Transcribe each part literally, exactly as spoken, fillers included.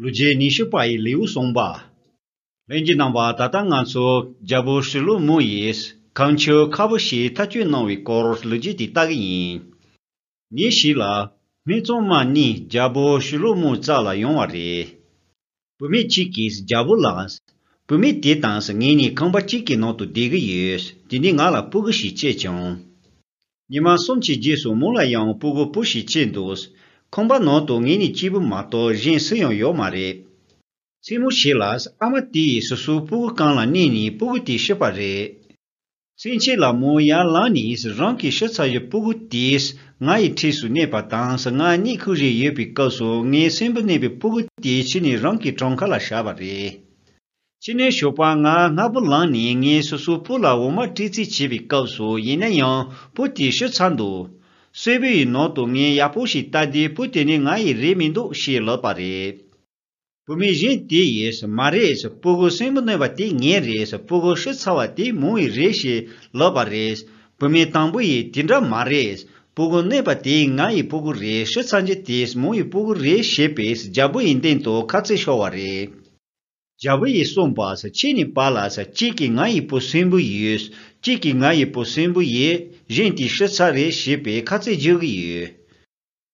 ལོ་རྒྱུས་ཉི་ཤུ་པ་ཡི་ལེའུ་གསུམ་པ། ལྷན་རྒྱས་རྣམ་པ། ད་ལྟ་ང་ཚོ་རྒྱལ་པོ་ཤུ་ལུ་མུ་ཡིས་གང་ཁྱོད་ཁ་བུ་ཞིག་ཐག་གཅོད་གནང་བའི་སྐོར་ལོ་རྒྱུས་དེ་ལྟ་གི་ཡིན། ཉིན་ཞིག་ལ། སྨད་འཚོང་མ་གཉིས་རྒྱལ་པོ་ཤུ་ལུ་མུ་རྩ་ལ་ཡོང་བ་རེད། བུད་མེད་གཅིག་གིས་རྒྱལ་པོ་ལ། བུད་མེད་དེ་དང་ངེད་གཉིས་ཁང་པ་གཅིག་གི་ནང་དུ་བསྡད་ཀྱི་ཡོད། དེ་ནས་ང་ལ་སྤུ་གུ་ཞིག་སྐྱེས་བྱུང་། ཉི་མ་གསུམ་གྱི་རྗེས་སུ་མོ་ལ་ཡང་སྤུ་གུ་བུ་ཞིག་སྐྱེས་འདུག། ཁང་པ་ནང་དུ་ངེད་གཉིས་གཅིག་པུ་མ་གཏོགས་གཞན་སུ་ཡང་ཡོད་མ་རེད། མཚན་མོ་ཞིག་ལ་ཨ་མ་དེ་ཡིས་སོ་སོའི་སྤུ་གུ་རྐང་ལ་མནན་ནས་སྤུ་གུ་དེ་ཤི་བ་རེད། མཚན་ཕྱེད་ལ་མོ་ཡར་ལངས་ནས་རང་གི་ཤི་ཚར་བའི་སྤུ་གུ་དེས་ང་ཡི་འཁྲིས་སུ་གནས་པ་དང་། ང་གཉིད་ཁུག་བཞིན་ཡོད་པའི་སྐབས་སུ་ངའི་གསོན་པོ་མནན་པའི་སྤུ་གུ་དེ་ཁྱེར་ནས་རང་གི་བྲང་ཁ་ལ་བཞག་པ་རེད། ཕྱི་ནས་ཞོགས་པ་ང་སྔ་པོ་ལངས་ནས་ངས་སོ་སོའི་བུ་ལ་འོ་མ་སྤྲད་རྩིས་བྱས་པའི་སྐབས་སུ། ཡིན་ན་ཡང་བུ་དེ་ཤི་ཚར་འདུག། གསོན་པོ་ཡི་ནང་དུ་ངས་ཡག་པོ་ཞིག་བལྟས་ཏེ་བུ་དེ་ནི་ང་ཡི་རེད་མི་འདུག་ཞེས་ལབ་པ་རེད། བུད་མེད་གཞན་དེ་ཡིས་མ་རེད། སྤུ་གུ་གསོན་པོ་གནས་པ་དེ་ངའི་རེད། སྤུ་གུ་ཤི་ཚར་བ་དེ་མོ་ཡི་རེད་ཞེས་ལབ་པ་རེད། བུད་མེད་དང་པོ་ཡིས་དེ་འདྲ་མ་རེད། སྤུ་གུ་གནས་པ་དེ་ང་ཡི་སྤུ་གུ་རེད། ཤི་ཚར་རྒྱུ་དེ་མོ་ཡི་སྤུ་གུ་རེད་ཞེས་པས་རྒྱལ་པོ་ཡི་སྟེང་དུ་ཁ་རྩོད་ཤོར་བ་རེད། རྒྱལ་པོ་ཡིས་གསུངས་པ། ཁྱེད་གཉིས་བར་ལ་གཅིག་གིས་ང་ཡི་བུ་གསོན་པོ་ཡོད། གཅིག་གིས་ང་ཡི་བུ་གསོན་པོ་ཡོད། གཞན་དེ་ཤི་ཚར་རེད་ཞེས་པའི་ཁ་རྩོད་རྒྱག་གི་ཡོད།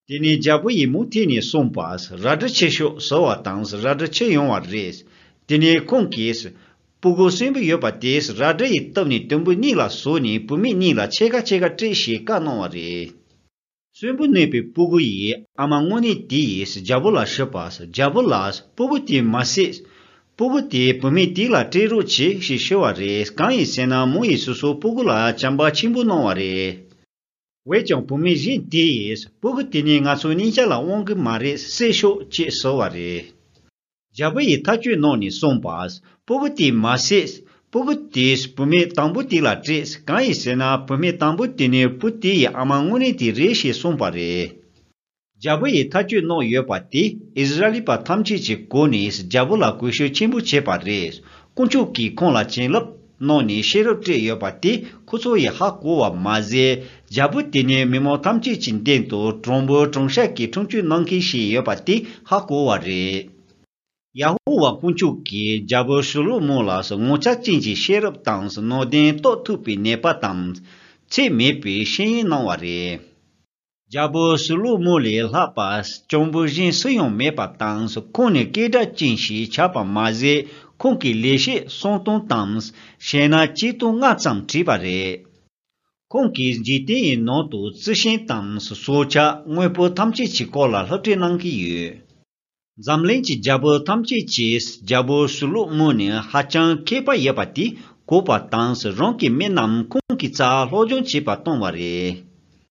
དེ་ནས་རྒྱལ་པོ་ཡིས་མུ་མཐུད་ནས་གསུངས་པ། རལ་གྲི་ཁྱེར་ཤོག་ཟེར་བ་དང་རལ་གྲི་ཁྱེར་ཡོང་བ་རེད། དེ་ནས་ཁོང་གིས་སྤུ་གུ་གསོན་པོ་ཡོད་པ་དེ་རལ་གྲི་ཡིས་བཏབ་ནས་དུམ་བུ་གཉིས་ལ་བཟོས་ནས་བུད་མེད་གཉིས་ལ་ཕྱེད་ཀ་ཕྱེད་ཀ་སྤྲད་ཞེས་བཀའ་གནང་བ་རེད། གསོན་པོ་གནས་པའི་སྤུ་གུ་ཡི་ཨ་མ་དངོས་གནས་དེ་ཡིས་རྒྱལ་པོ་ལ་ཞུས་པ། རྒྱལ་པོ་ལགས། སྤུ་གུ་དེ་མ་བསད། སྤུ་གུ་དེ་བུད་མེད་དེ་ལ་སྤྲད་རོགས་བྱེད་ཞེས་ཞུས་པ་རེད། གང་ཡིན་ཟེར་ན་མོ་ཡིས་སོ་སོའི་སྤུ་གུ་ལ་བྱམས་པ་ཆེན་པོ་གནང་བ་རེད། འོན་ཀྱང་བུད་མེད་གཞན་དེ་ཡིས་སྤུ་གུ་དེ་ནི་ང་ཚོའི་གཉིས་ཆ་ལ་དབང་གི་མ་རེད། བསད་ཤོག་ཅེས་ཟེར་བ་རེད། རྒྱལ་པོ་ཡིས་ཐག་གཅོད་གནང་ནས་གསུངས་པ། སྤུ་གུ་དེ་མ་བསད། སྤུ་གུ་དེས་བུད་མེད་དང་པོ་དེ་ལ་སྤྲད། གང་ཡིན་ཟེར་ན་བུད་མེད་དང་པོ་དེ་ནི་བུ་དེ་ཡི་ཨ་མ་དངོས་གནས་དེ་རེད་ཞེས་གསུངས་པ་རེད། རྒྱལ་པོ་ཡིས་ཐག་གཅོད་གནང་ཡོད་པ་དེ་ཨིསི་ར་ཨེལ་པ་ཐམས་ཅད་ཀྱིས་གོ་ནས་རྒྱལ་པོ་ལ་གུས་ཞབས་ཆེན་པོ་བྱས་པ་རེད། དཀོན་མཆོག་གིས་ཁོང་ལ་བྱིན་རླབས་གནང་ནས་ཤེས་རབ་སྤྲད་ཡོད་པ་དེ་ཁོ་ཚོ་ཡིས་ཧ་གོ་བ་མ་ཟད། རྒྱལ་པོ་དེ་ནི་མི་མང་ཐམས་ཅད་ཀྱི་མདུན་དུ་དྲང་པོ་དྲང་བཞག་གིས་ཁྲིམས་གཅོད་གནང་མཁན་ཞིག་ཡོད་པ་དེ་ཧ་གོ་བ་རེད། ཡ་ཧོ་ཝཱ་དཀོན་མཆོག་གིས་རྒྱལ་པོ་ཤུ་ལུ་མོ་ལ་ངོ་མཚར་ཅན་གྱི་ཤེས་རབ་དང་ནང་དོན་རྟོགས་ཐུབ་པའི་ནུས་པ་དང་། ཚད་མེད་པའི་ཤེས་ཡོན་གནང་བ་རེད། རྒྱལ་པོ་ཤུ་ལུ་མོ་ལས་ལྷག་པ་སྤྱང་པོ་གཞན་སུ་ཡང་མེད་པ་དང་། ཁོང་ནི་སྐད་གྲགས་ཅན་ཞིག་ཆགས་པ་མ་ཟད། ཁོང་གི་ལས་བྱེད་གསུམ་སྟོང་དང་། གཞས་སྣ་ཆིག་སྟོང་ལྔ་ཙམ་བྲིས་པ་རེད། ཁོང་གིས་འཇིག་རྟེན་ཡི་ནང་དུ་རྩི་ཤིང་དང་། སྲོག་ཆགས་དངོས་པོ་ཐམས་ཅད་ཀྱི་སྐོར་ལ་སློབ་ཁྲིད་གནང་གི་ཡོད། འཛམ་གླིང་གི་རྒྱལ་པོ་ཐམས་ཅད་ཀྱིས་རྒྱལ་པོ་ཤུ་ལུ་མོ་ནི་ཧ་ཅང་མཁས་པ་ཡོད་པ་དེ་གོ་བ་དང་། རང་གི་མི་རྣམས་ཁོང་གི་རྩར་སློབ་སྦྱོང་བྱེད་པར་གཏོང་བ་རེད།